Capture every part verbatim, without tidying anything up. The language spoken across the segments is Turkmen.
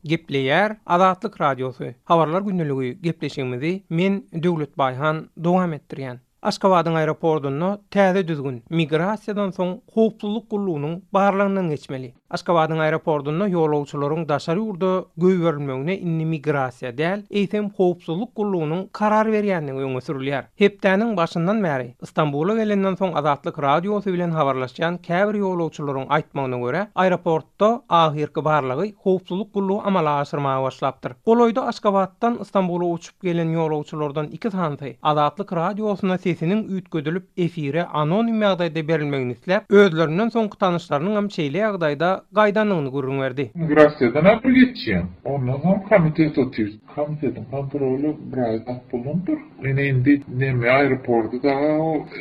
Gepleýär Azatlyk Radiosy. Habarlar gündeligi gepleşigimizi men Döwlet Baýhan dowam etdirýän. Aşgabadyň aeroportunda täze düzgün migrasiýadan soň howpsuzlyk gullugynyň barlagyndan geçmeli. Aşgabadyň aeroportunda ýolagçylaryň daşary ýurda goýberilmegine indi migrasiýa däl, eýsem howpsuzlyk gullugynyň karar berýändigi öňe sürülýär. Hepdäniň başyndan bäri Istanbula gelenden soň Azatlyk Radiosy bilen habarlaşýan käbir ýolagçylaryň aýtmagyna görä, aeroportda ahyrky barlagy howpsuzlyk gullugy amala aşyrmaga başlapdyr. Golaýda Aşgabatdan Istanbula uçup gelen ýolagçylardan iki sanysy Azatlyk Radiosyna sesiniň üýtgedilip efire anonim ýagdaýda berilmegini isläp, özlerinden soňky tanyşlarynyň hem şeýle ýagdaýda gaýdandygyny gürrüň berdi. Migrasiýadan apy geçýän. Ondan soň komitet otyr. Komitetiň kontroly bir aý bolundyr. Ene indi neme aeroporty da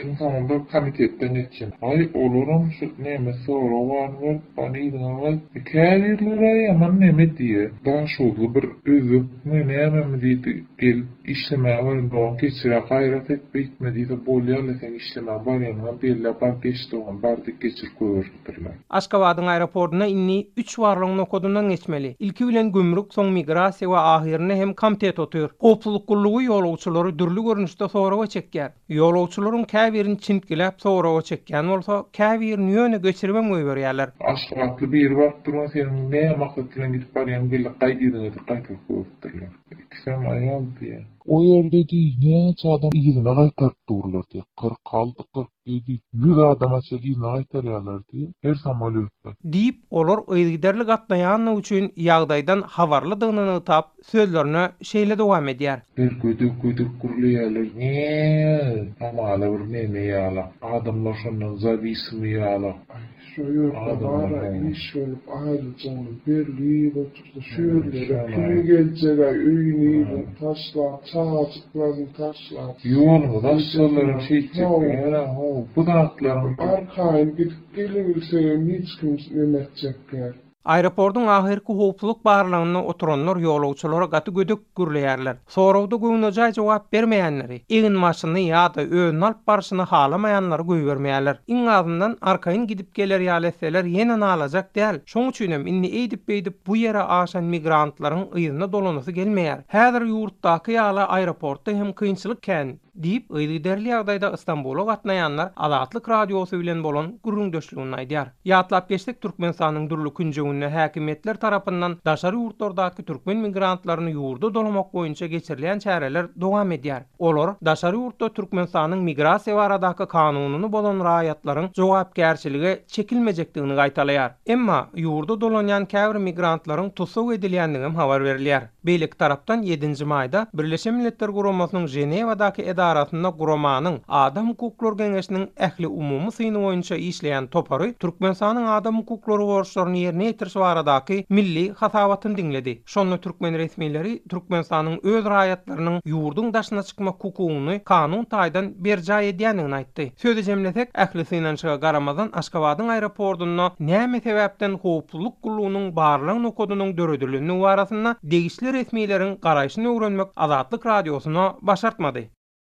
iň soňunda komitetden geçýän. Aý olaram şu neme sorag barmy, bany ýygnamaly. Käbirleri ýaman neme diýe. Daşoguzly bir özbekmi nämemi diýdi. Gelip işlemäge barýan, geçire gaýrat et beýtme diýse bolýarlar sen işlemäge barýanyňa belle bar geçdi oňa bardyk geçirip goýberipdirler. Aşgabadyň aeroportuna indi üç barlygyň nokadyndan geçmeli. Ilki bilen gümrük, soň migrasiýa we ahyrynda hem komitet otyr. Howpsuzlyk gullugy ýolagçylary dürli görnüşde soraga çekýär. Ýolagçylaryň käbirini çintgiläp soraga çekýän bolsa, käbirini ýöne geçiribem goýberýärler. Aşgabatly biri baryp durman seniň näme maksat bilen gidip barýaň belli gaýdydyňy gaýtaryp goýberipdirler. Ikisem aýal diýe. O ýerde diý, näçe adam ýygyna gaýtaryp durlar diýe. Kyrk alty, kyrk ýedi, ýüz adam açyp ýygyna gaýtarýarlar diýe. Her samolýotda. Diýip, olar yzygiderli gatnaýanlygy üçin ýagdaýdan habarlydygyny nygtap, sözlerine şeýle dowam edýär. Bir gödek gödek gürleýärler. Ne? Hamala bir neme ýala. Adamlar şondan zawisimi ýala. Ay, şu ýerde bara iş bolup aýrylyjagyny belli otursa şu ýerlere kim geljek ay öýüni taşlap, çagajyklaryny taşlap. Ýolumyz açsalar şeýtjek. Ýa, ho, bu zatlaryň Arkaýyn gidip gelebilsem hiç kim neme etjekler. Aeroportyň ahyrky howpsuzlyk barlagynda oturanlar ýolagçylara gaty gödek gürleýärler. Soragda göwnejaý jogap bermeýänleri, egin başyny ýa-da özüni alyp barşyny halamaýanlary goýbermeýärler. Iň azyndan arkaýyn gidip geler ýaly etseler ýene nalajak däl. Şoň üçinem indi eýdip beýdip bu ýere aşan migrantlaryň yzyna dolanasy gelmeýär. Häzir ýurtdaky ýaly aeroportda hem kynçylyk kän diýip, yzygiderli ýagdaýda Istanbula gatnaýanlar Azatlyk Radiosy bilen bolan gürrüňdeşligini aýdýar. Ýatlap geçdik Türkmenistanyň dürli künjeginde häkimiýetler tarapyndan daşary ýurtlardaky türkmen migrantlaryny ýurda dolamak boýunça geçirilýän çäreler dowam edýär. Olar daşary ýurtda Türkmenistanyň migrasiýa baradaky kanunyny bozan raýatlaryň jogapkärçilige çekilmejekdigini gaýtalaýar. Emma ýurda dolanýan käbir migrantlaryň tussag edilýändigi habar berilýär. Beýleki tarapdan ýedinji maýda Birleşen Milletler Guramasynyň Ženewadaky edarasynda guramanyň Adam hukuklary geňeşiniň ähli umumy syny boýunça işleýän topary Türkmenistanyň adam hukuklary borçlaryny ýerine ýetiriş baradaky milli hasabatyny diňledi. Şonda türkmen resmileri Türkmenistanyň öz raýatlarynyň ýurduň daşyna çykmak hukugyny kanun taýdan berjaý edýändigini aýtdy. Sözi jemlesek, ähli synanyşyga garamazdan Aşgabadyň aeroportunda näme sebäpden howpsuzlyk gullugynyň barlag nokadynyň döredilendigi barasynda degişli resmileriň garaýşyny öwrenmek Azatlyk Radiosyna başartmady.